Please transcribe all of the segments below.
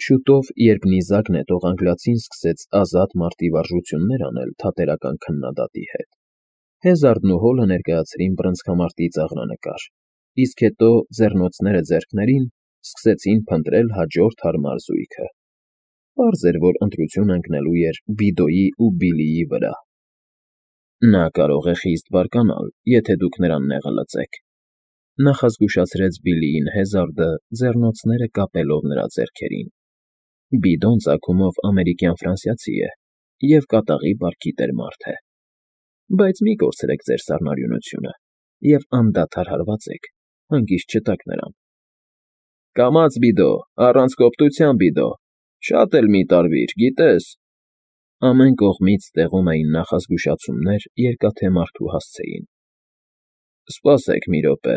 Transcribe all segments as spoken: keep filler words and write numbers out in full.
Շուտով, երբ նիզակ նետող անգլիացին սկսեց ազատ մարտի վարժություններ անել թատերական քննադատի հետ, Հեզարդն ու Հոլը ներկայացրին բռնցքամարտի ծաղրանկար, իսկ հետո, ձեռնոցները ձեռքներին, սկսեցին փնտրել հաջորդ հարմար զույգը։ Պարզ էր, որ ընտրությունը ընկնելու էր Բիդոյի ու Բիլլիի վրա։ Նա կարող է խիստ բարկանալ, եթե դուք նրան նեղը լծեք,֊ նախազգուշացրեց Բիլլիին Հեզարդը, ձեռնոցները կապելով նրա ձեռքերին։ Բիդոն ծագումով ամերիկյան֊ֆրանսիացի է և կատաղի բարքի տեր մարդ է։ Բայց մի կորցրեք ձեր սառնարյունությունը և անդադար հարվածեք, հանգիստ չտաք նրան։ Կամաց, Բիդո, առանց կոպտության, Բիդո, շատ էլ մի տարվիր, գիտես… Ամեն կողմից տեղում էին նախազգուշացումներ Երկաթե Մարդու հասցեին։ Սպասեք մի րոպե,֊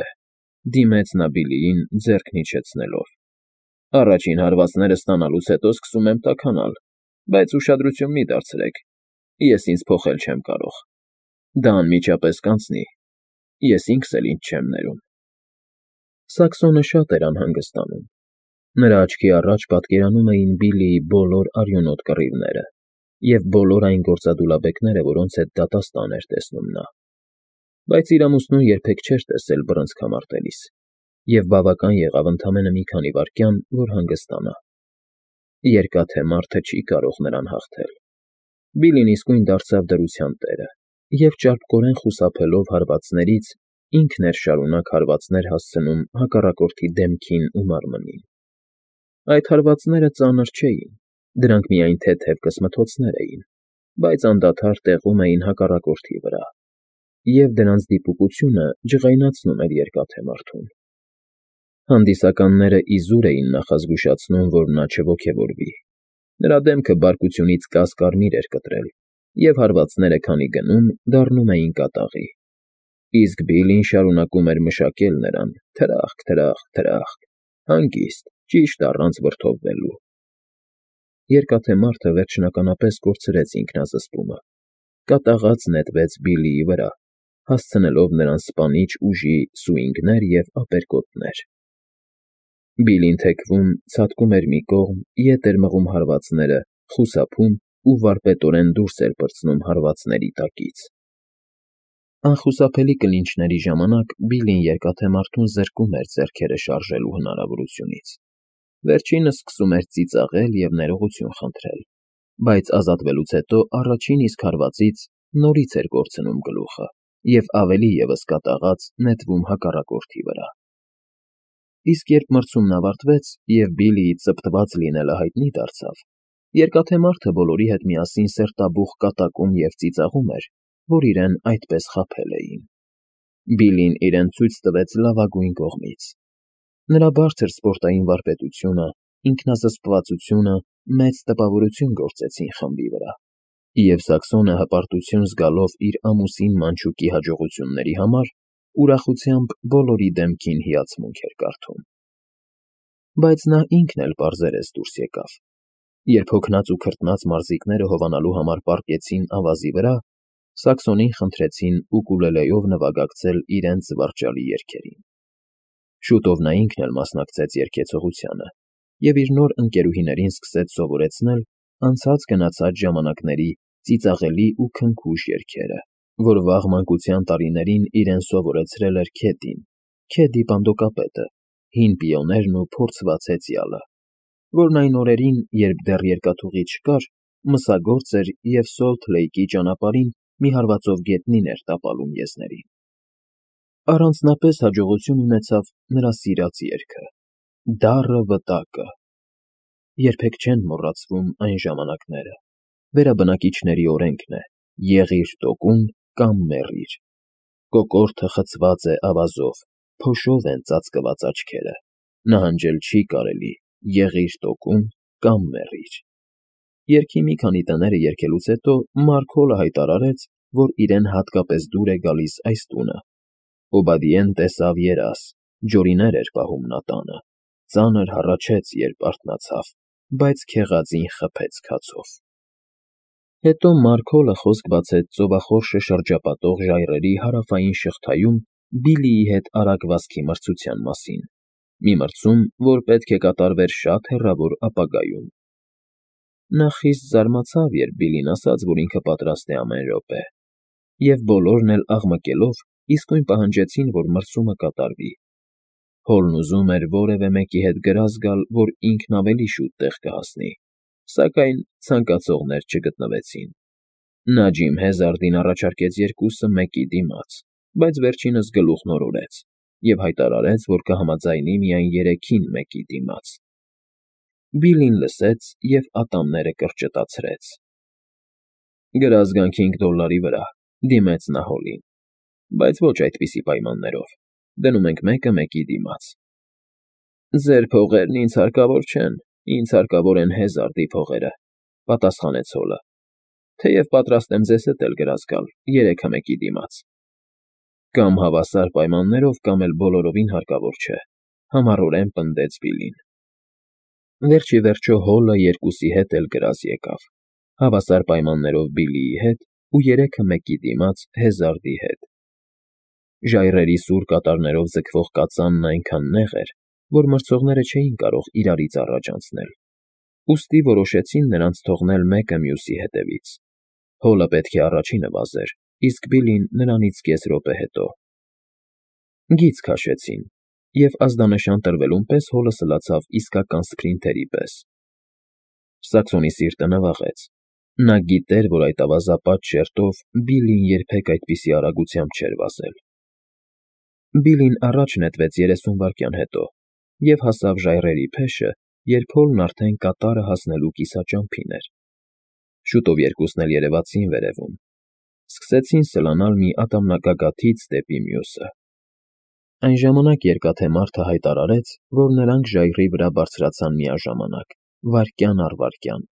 դիմեց նա Բիլլիին, ձեռքն իջեցնելով,֊ առաջին հարվածները ստանալուց հետո սկսում եմ տաքանալ, բայց ուշադրություն մի դարձրեք, ես ինձ փոխել չեմ կարող։ Դա անմիջապես կանցնի, ես ինքս էլ ինձ չեմ ներում։ Սաքսոնը շատ էր անհանգստանում։ Նրա աչքի առաջ պատկերանում էին Բիլլիի բոլոր արյունոտ կռիվները և բոլոր այն գործադուլաբեկները, որոնց հետ դատաստան էր տեսնում նա։ Բայց իր ամուսնուն երբեք չէր տեսել բռնցքամարտելիս, և բավական եղավ ընդամենը մի քանի վայրկյան, որ հանգստանա։ Երկաթե մարդը չի կարող նրան հաղթել։ Բիլլին իսկույն դարձավ դրության տերը և, ճարպկորեն խուսափելով հարվածներից, ինքն էր շարունակ հարվածներ հասցնում հակառակորդի դեմքին ու մարմնին։ Այդ հարվածները ծանր չէին, դրանք միայն թեթև կսմթոցներ էին, բայց անդադար տեղում էին հակառակորդի վրա, և դրանց դիպուկությունը ջղայնացնում էր երկաթե մարդուն։ Հանդիսականները իզուր էին նախազգուշացնում, որ նա չոգևորվի։ Նրա դեմքը բարկությունից կաս֊կարմիր էր կտրել, և հարվածները քանի գնում, դառնում էին կատաղի։ Իսկ Բիլլին շարունակում էր մշակել նրան՝ թրախկ, թրախկ, թրախկ, հանգիստ, ճիշտ առանց վրդովվելու։ Երկաթե մարդը վերջնականապես կորցրեց ինքնազսպումը, կատաղած նետվեց Բիլլիի վրա, հասցնելով նրան սպանիչ ուժի սուինգներ և ապերկոտներ։ Բիլլին թեքվում, ցատկում էր մի կողմ, ետ էր մղում հարվածները, խուսափում ու վարպետորեն դուրս էր պրծնում հարվածների տակից։ Անխուսափելի կլինչների ժամանակ Բիլլին երկաթե մարդուն զրկում էր ձեռքերը շարժելու հնարավորությունից։ Վերջինս սկսում էր ծիծաղել և ներողություն խնդրել, բայց ազատվելուց հետո առաջին իսկ հարվածից նորից էր կորցնում գլուխը և ավելի ևս կատաղած նետվում հակառակորդի վրա։ Իսկ երբ մրցումն ավարտվեց, և Բիլլիի ծպտված լինելը հայտնի դարձավ, երկաթե մարդը բոլորի հետ միասին սերտաբուխ կատակում և ծիծաղում էր, որ իրեն այդպես խաբել էին։ Բիլլին իրեն ցույց տվեց լավագույն կողմից։ Նրա բարձր սպորտային վարպետությունը, ինքնազսպվածությունը մեծ տպավորություն գործեցին խմբի վրա, և Սաքսոնը հպարտություն զգալով իր ամուսին Մանչուկի հաջողությունների համար, ուրախությամբ բոլորի դեմքին հիացմունք էր կարդում։ Բայց նա ինքն էլ պարզերես դուրս եկավ։ Երբ հոգնած ու քրտնած մարզիկները հովանալու համար պառկեցին ավազի վրա, Սաքսոնին խնդրեցին ուկուլելեով նվագակցել իրենց զվարճալի երգերին։ Շուտով նա ինքն էլ մասնակցեց երգեցողությանը և իր նոր ընկերուհիներին սկսեց սովորեցնել անցած֊գնացած ժամանակների ծիծաղելի ու քնքուշ երգերը, որ վաղ մանկության տարիներին իրեն սովորեցրել էր Քեդին, Քեդի պանդոկապետը, հին պիոներն ու փորձված հեծյալը, որն այն օրերին, երբ դեռ երկաթուղի չկար, մսագործ էր և Սոլթ Լեյքի ճանապարհին մի հարվածով գետնին էր տապալում եզներին։ Առանձնապես հաջողություն ունեցավ նրա սիրած երգը՝ «Դառը վտակը»։ Երբեք չեն մոռացվում այն ժամանակները։ Վերաբնակիչների օրենքն է՝ եղիր տոկուն կամ մեռիր։ Կոկորդը խցված է ավազով, փոշով են ծածկված աչքերը, նահանջել չի կարելի, եղիր տոկուն կամ մեռիր։ Երգի մի քանի տները երգելուց հետո Մարքոլը հայտարարեց, որ իրեն հատկապես դուր է գալիս այս տունը։ Օբադիեն տեսավ երազ, ջորիներ էր պահում նա տանը, ծանր հառաչեց, երբ արթնացավ, բայց քեղածին խփեց քացով։ Հետո Մարքոլը խոսք բացեց ծովախորշը շրջապատող ժայռերի հարավային շղթայում Բիլլիի հետ արագ վազքի մրցության մասին մի մրցում, որ պետք է կատարվեր շատ հեռավոր ապագայում։ Նա խիստ զարմացավ, երբ Բիլին ասաց, որ ինքը պատրաստ է ամեն րոպե, և բոլորն էլ աղմկելով իսկույն պահանջեցին, որ մրցումը կատարվի։ Հոլն ուզում էր որևէ մեկի հետ գրազ գալ, որ ինքն ավելի շուտ տեղ կհասնի, սակայն ցանկացողներ չգտնվեցին։ Նա Ջիմ Հեզարդին առաջարկեց երկուսը մեկի դիմաց, բայց վերջինս գլուխն օրորեց և հայտարարեց, որ կհամաձայնի միայն երեքին մեկի դիմաց։ Բիլին լսեց և ատամները կրճտացրեց։ «Գրազ գանք հինգ դոլարի վրա», դիմեց նա Հոլին, «բայց ոչ այդպիսի պայմաններով, դնում ենք մեկը մեկի դիմաց»։ «Ձեր փողերն ինձ հարկավոր չեն, ինձ հարկավոր են Հեզարդի փողերը», պատասխանեց Հոլը, «թեև պատրաստ եմ ձեզ հետ էլ գրազ գալ երեքը մեկի դիմաց»։ «Կամ հավասար պայմաններով, կամ էլ բոլորովին հարկավոր չէ», համառորեն պնդեց Բիլին։ Վերջ ի վերջո Հոլը երկուսի հետ էլ գրազ եկավ, հավասար պայմաններով Բիլիի հետ ու երեքը մեկի դիմաց Հեզարդի հետ։ Ժայռերի սուր կատարներով ձգվող կածանն այնքան նեղ էր, որ մրցողները չէին կարող իրարից առաջ անցնել, ուստի որոշեցին նրանց թողնել մեկը մյուսի հետևից։ Հոլը պետք է առաջինը վազեր, իսկ Բիլին նրանից կես րոպե հետո։ Գիծ քաշեցին, և ազդանշան տրվելուն պես Հոլը սլացավ իսկական սփրինթերի պես։ Սակսոնի սիրտը նվաղեց։ Նա գիտեր, որ այդ ավազապատ շերտով Բիլին երբեք այդպիսի արագությամբ չէր վազել։ Բիլին առաջ նետվեց երեսուն վայրկյան հետո և հասավ ժայռերի փեշը, երբ Հոլն արդեն կատարը հասնելու կիսաճամփին էր։ Շուտով երկուսն էլ երևացին վերևում։ Սկսեցին սլանալ մի ատամնագագաթից դեպի մյուսը։ Այն ժամանակ Երկաթե Մարդը հայտարարեց, որ նրանք ժայռի վրա բարձրացան միաժամանակ, վայրկյան առ վայրկյան։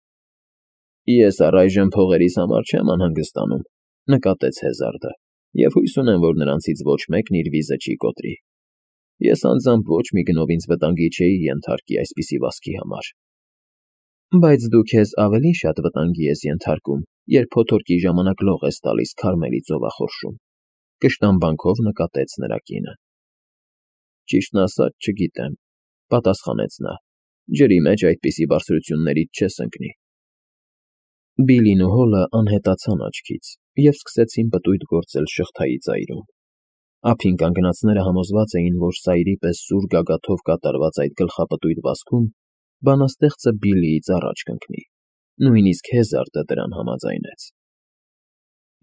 «Ես առայժմ փողերիս համար չեմ անհանգստանում», նկատեց Հեզարդը, «և հույս ունեմ, որ նրանցից ոչ մեկն իր վիզը չի կոտրի։ Ես անձամբ ոչ մի գնով ինձ վտանգի չէի ենթարկի այսպիսի վազքի համար»։ «Բայց դու քեզ ավելի շատ վտանգի ես ենթարկում, երբ փոթորկի ժամանակ լող ես տալիս Քարմելի ծովախորշում», կշտամբանքով նկատեց նրա կինը։ «Ճիշտն ասած, չգիտեմ», պատասխանեց նա, «ջրի մեջ այդպիսի բարձրություններից չես ընկնի»։ Բիլին ու Հոլը անհետացան աչքից և սկսեցին պտույտ գործել շղթայի ծայրում։ Ափին կանգնածները համոզված էին, որ սայրի պես սուր գագաթով կատարված այդ գլխապտույտ վազքում բանաստեղծը Բիլիից առաջ կընկնի, նույնիսկ Հեզարդը դրան համաձայնեց։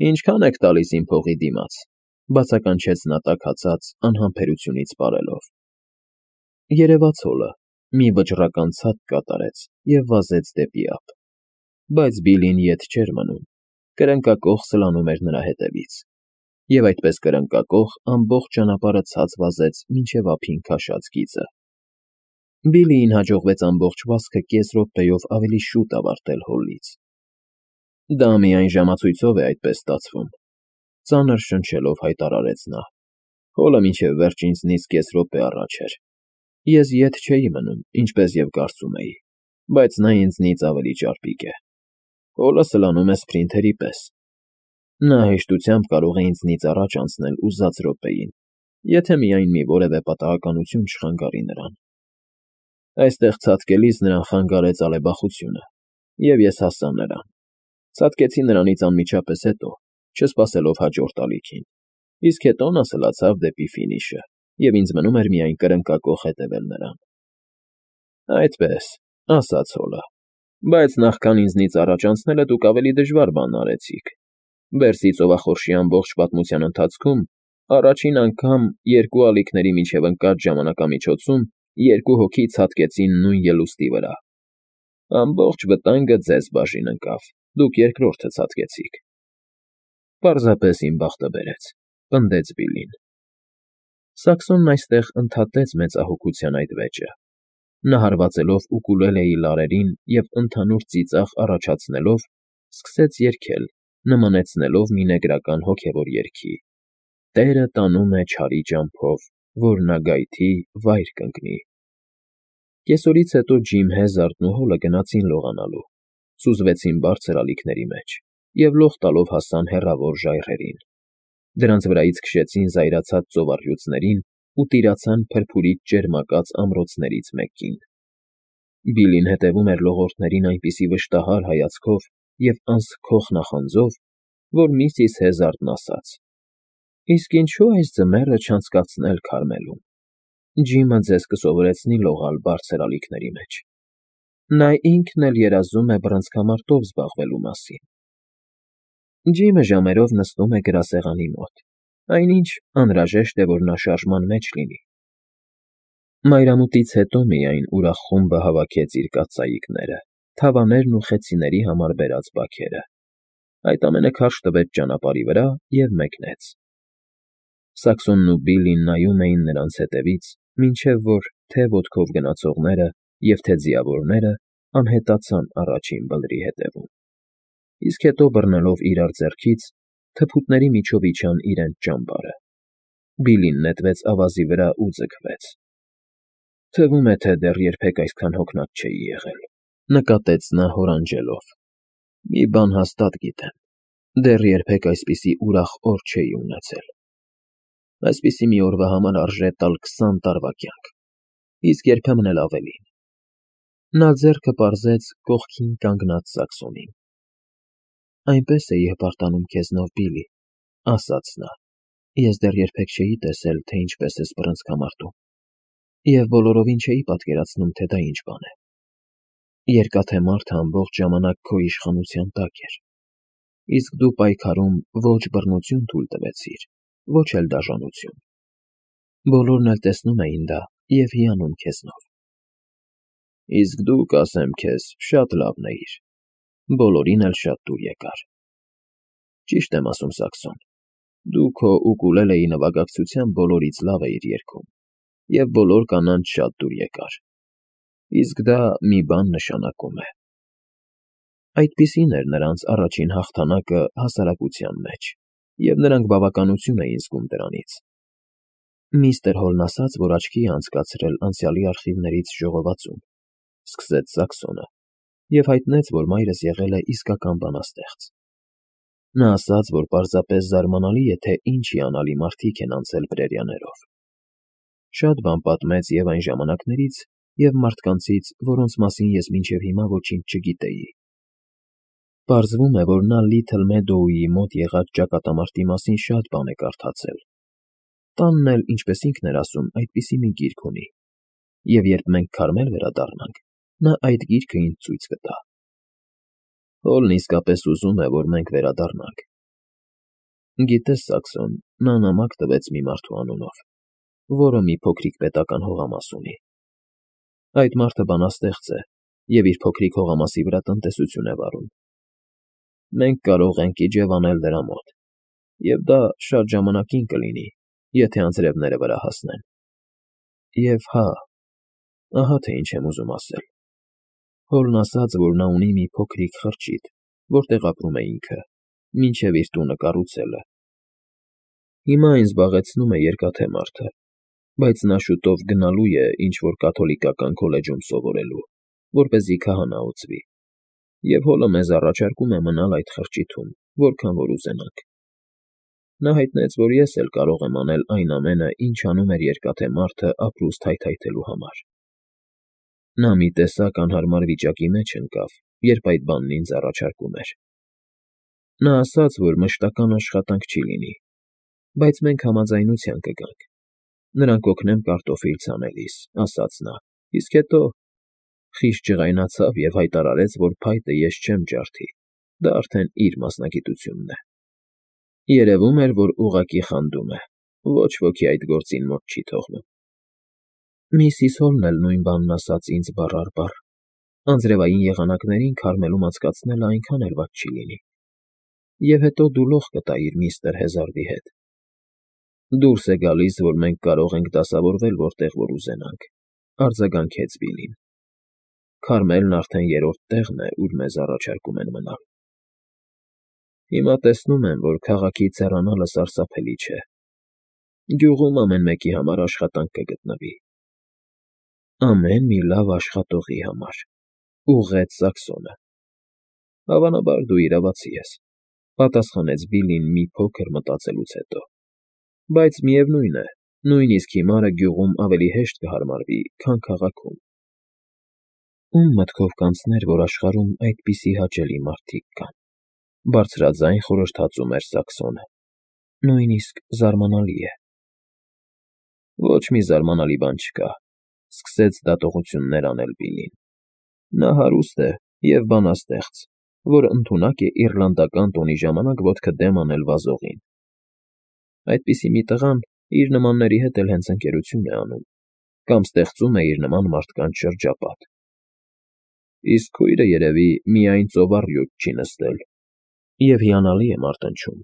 «Ինչքա՞ն եք տալիս իմ փողի դիմաց», բացականչեց նա տաքացած, անհամբերությունից պարելով։ Երևաց Հոլը, մի վճռական ցած կատարեց և վազեց դեպի ափ։ Բայց Բիլին ետ չէր մնում, կրնկակոխ սլանում էր նրա հետևից, և այդպես կրնկակոխ ամբողջ ճանապարհը ցած վազեց մինչև ափին քաշած գիծը։ Բիլիին հաջողվեց ամբողջ վազքը կես րոպեով ավելի շուտ ավարտել Հոլից։ «Դա միայն ժամացույցով է այդպես ստացվում», ծանր շնչելով հայտարարեց նա։ «Հոլը մինչև վերջ ինձնից կես րոպե առաջ էր։ Ես ետ չէի մնում, ինչպես և կարծում էի, բայց նա ինձնից ավելի ճարպիկ է։ Հոլը սլանում է սփրինթերի պես։ Նա հեշտությամբ կարող է ինձնից առաջ անցնել ուզած րոպեին, եթե միայն մի որևէ պատահականություն չխանգարի նրան։ Այստեղ ցատկելիս նրան խանգարեց ալեբախությունը, և ես հասա նրան։ Ցատկեցի նրանից անմիջապես հետո, չսպասելով հաջորդ ալիքին, իսկ հետո նա սլացավ դեպի ֆինիշը, և ինձ մնում էր միայն կրնկակոխ հետևել նրան»։ «Այդպես», ասաց Հոլը, «բայց նախքան ինձնից առաջ անցնելը դուք ավելի դժվար բան արեցիք։ Բերսի ծովախորշի ամբողջ պատմության ընթացքում առաջին անգամ երկու ալիքների միջև ընկած ժամանակամիջոցում երկու հոգի ցատկեցին նույն ելուստի վրա։ Ամբողջ վտանգը ձեզ բաժին ընկավ, դուք երկրորդը ցատկեցիք»։ «Պարզապես իմ բախտը բերեց», պնդեց Բիլին։ Սակսոնն այստեղ ընդհատեց մեծահոգության այդ վեճը։ Նա հարվածելով ուկուլելեի լարերին և ընդհանուր ծիծաղ առաջացնելով, սկսեց երգել, նմանեցնելով մի նեգրական հոգևոր երգի. «Տերը տանում է չարի ճամփով, որ նա գայթի վայր կընկնի»։ Կեսօրից հետո Ջիմ Հեզարդն ու Հոլը գնացին լողանալու, սուզվեցին բարձր ալիքների մեջ և լող տալով հասան հեռավոր ժայռերին։ Դրանց վրայից քշեցին զայրացած ծովառյուծներին ու տիրացան փրփուրից ճերմակած ամրոցներից մեկին։ Բիլին հետևում էր լողորդներին այնպիսի վշտահար հայացքով և անսքող նախանձով, որ միսիս Հեզարդն ասաց. «Իսկ ինչո՞ւ այս ձմեռը չանցկացնել Քարմելում. Ջիմը ձեզ կսովորեցնի լողալ բարձր ալիքների մեջ։ Նա ինքն էլ երազում է բռնցքամարտով զբաղվելու մասին»։ Ջիմը ժամերով նստում է գրասեղանի մոտ, այնինչ անհրաժեշտ է, որ նա շարժման մեջ լինի։ Մայրամուտից հետո միայն ուրախ խումբը հավաքեց իր կաթսայիկները, թավաներն ու խեցիների համար բերած բաքերը, այդ ամենը քարշ տվեց ճանապարհի վրա և մեկնեց։ Սաքսոնն ու Բիլլին նայում էին նրանց հետևից, մինչև որ թե՛ ոտքով գնացողները և թե՛ ձիավորները անհետացան առաջին բլրի ետևում, իսկ հետո բռնելով իրար ձեռքից, թփուտների միջով իջան իրենց ճամբարը։ Բիլլին նետվեց ավազի վրա ու ձգվեց։ «Թվում է, թե դեռ երբեք այսքան հոգնած չէի եղել», ֊ նկատեց նա հորանջելով։ «Մի բան հաստատ գիտեմ. դեռ երբեք այսպիսի ուրախ օր չէի ունեցել։ Այսպիսի մի օրվա համար արժե տալ քսան տարվա կյանք, իսկ երբեմն էլ ավելին»։ Նա ձեռքը պարզեց կողքին կանգնած Սաքսոնին։ «Այնպես էի հպարտանում քեզնով, Բիլլի», ֊ ասաց նա։ «Ես դեռ երբեք չէի տեսել, թե ինչպես ես բռնցքամարտում, և բոլորովին չէի պատկերացնում, թե դա ինչ բան է։ Երկաթե մարդը ամբողջ ժամանակ քո իշխանության տակ էր, իսկ դու պայքարում ոչ բռնություն թույլ տվեցիր, ոչ էլ դաժանություն։ Բոլորն էլ տեսնում էին դա և հիանում քեզնով։ Իսկ դու, կասեմ քեզ, շատ լավն էիր, բոլորին էլ շատ դուր եկար։ Ճիշտ եմ ասում, Սաքսոն, դու քո ուկուլելեի նվագակցությամբ բոլորից լավ էիր երգում, և բոլոր կանանց շատ դուր եկար, իսկ դա մի բան նշանակում է»։ Այդպիսին էր նրանց առաջին հաղթանակը հասարակության մեջ, և նրանք բավականություն էին զգում դրանից։ «Միստր Հոլն ասաց, որ աչքի է անցկացրել անցյալի արխիվներից ժողովածուն», ֊ սկսեց Սաքսոնը, և հայտնեց, որ մայրս եղել է իսկական բանաստեղծ։ «Նա ասաց, որ պարզապես զարմանալի է, թե ինչ հիանալի մարդիկ են անցել prairie-ներով։ Շատ բան պատմեց և այն ժամանակներից, և մարդկանցից, որոնց մասին ես մինչև հիմա ոչինչ չգիտեի։ Պարզվում է, որ նա Լիթլ Մեդոուի մոտ եղած ճակատամարտի մասին շատ բան է կարդացել։ Տանն էլ, ինչպես ինքն էր ասում, այդպիսի մի գիրք ունի, և երբ մենք Քարմել վերադառնանք, նա այդ գիրքը ինձ ցույց կտա։ Հոլն իսկապես ուզում է, որ մենք վերադառնանք։ Գիտես, Սաքսոն, նա նամակ տվեց մի մարդու անունով, որը մի փոքրիկ պետական հողամաս ունի։ Այդ մարդը բանաստեղծ է և իր փոքրիկ հողամասի վրա տնտեսություն է վարում։ Մենք կարող ենք իջևանել նրա մոտ, և դա շատ ժամանակին կլինի, եթե անձրևները վրա հասնեն։ Եվ հա, ահա թե ինչ եմ ուզում ասել. Հոլն ասաց, որ նա ունի մի փոքրիկ խրճիթ, որտեղ ապրում է ինքը, մինչև իր տունը կառուցելը։ Հիմա այն զբաղեցնում է Երկաթե մարդը, բայց նա շուտով գնալու է ինչ֊որ կաթոլիկական քոլեջում սովորելու, որպեսզի քահանա օծվի, և Հոլը մեզ առաջարկում է մնալ այդ խրճիթում, որքան որ ուզենանք։ Նա հայտնեց, որ ես էլ կարող եմ անել այն ամենը, ինչ անում էր Երկաթե մարդը ապրուստ հայթայթելու համար։ Նա մի տեսակ անհարմար վիճակի մեջ ընկավ, երբ այդ բանն ինձ առաջարկում էր։ Նա ասաց, որ մշտական աշխատանք չի լինի, բայց մենք համաձայնության կգանք։ Նրան կօգնեմ կարտոֆիլ ցանելիս, ասաց նա, իսկ հետո… Խիստ ջղայնացավ և հայտարարեց, որ փայտը ես չեմ ջարդի, դա արդեն իր մասնագիտությունն է։ Երևում էր, որ ուղղակի խանդում է, ոչ ոքի այդ գործին մոտ չի թողնում։ Միսիս Հոլն էլ նույն բանն ասաց ինձ բառ առ բառ. անձրևային եղանակներին Քարմելում անցկացնելը այնքան էլ վատ չի լինի։ Եվ հետո դու լող կտայիր միստր Հեզարդի հետ։ Դուրս է գալիս, որ մենք կարող ենք դասավորվել որտեղ որ ուզենանք, արձագանքեց Բիլլին։ Քարմելն արդեն երրորդ տեղն է, ուր մեզ առաջարկում են մնալ։ Հիմա տեսնում եմ, որ քաղաքից հեռանալը սարսափելի չէ։ Գյուղում ամեն մեկի համար աշխատանք կգտնվի։ Ամեն մի լավ աշխատողի համար, ուղղեց Սաքսոնը։ Հավանաբար դու իրավացի ես, պատասխանեց Բիլլին մի փոքր մտածելուց հետո, բայց միևնույն է, Նույնիսկ հիմարը գյուղում ավելի հեշտ կհարմարվի, քան քաղաքում։ Ում մտքով կանցներ, որ աշխարհում այդպիսի հաճելի մարդիկ կան,֊ բարձրաձայն խորհրդածում էր Սակսոնը։֊ Նույնիսկ զարմանալի է։ ֊ Ոչ մի զարմանալի բան չկա,֊ սկսեց դատողություններ անել Բիլլին։֊ Նա հարուստ է և բանաստեղծ, որ ընդունակ է իռլանդական տոնի ժամանակ ոտքը դեմ անել վազողին։ Այդպիսի մի տղան իր նմանների հետ էլ հենց ընկերություն է անում կամ ստեղծում է իր նման մարդկանց շրջապատ։ Իսկ քույրը, երևի, միայն ծովառյուծ չի նստել և հիանալի է մարտնչում,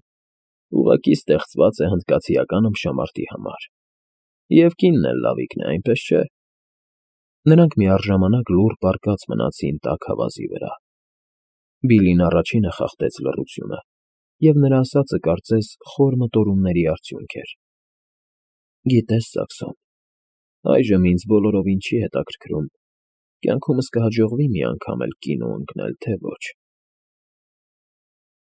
ուղղակի ստեղծված է հնդկացիական ըմբշամարտի համար։ Եվ կինն էլ լավիկն է, այնպես չէ՞։ Նրանք միառժամանակ լուռ պառկած մնացին տաք ավազի վրա։ Բիլլին առաջինը խախտեց լռությունը, և նրա ասածը, կարծես, խոր մտորումների արդյունք էր։ ֊ Գիտես, Սակսոն, այժմ ինձ բոլորովին չի հետաքրքրում՝ կյանքումս կհաջողվի՞ մի անգամ էլ կինո ընկնել, թե ոչ։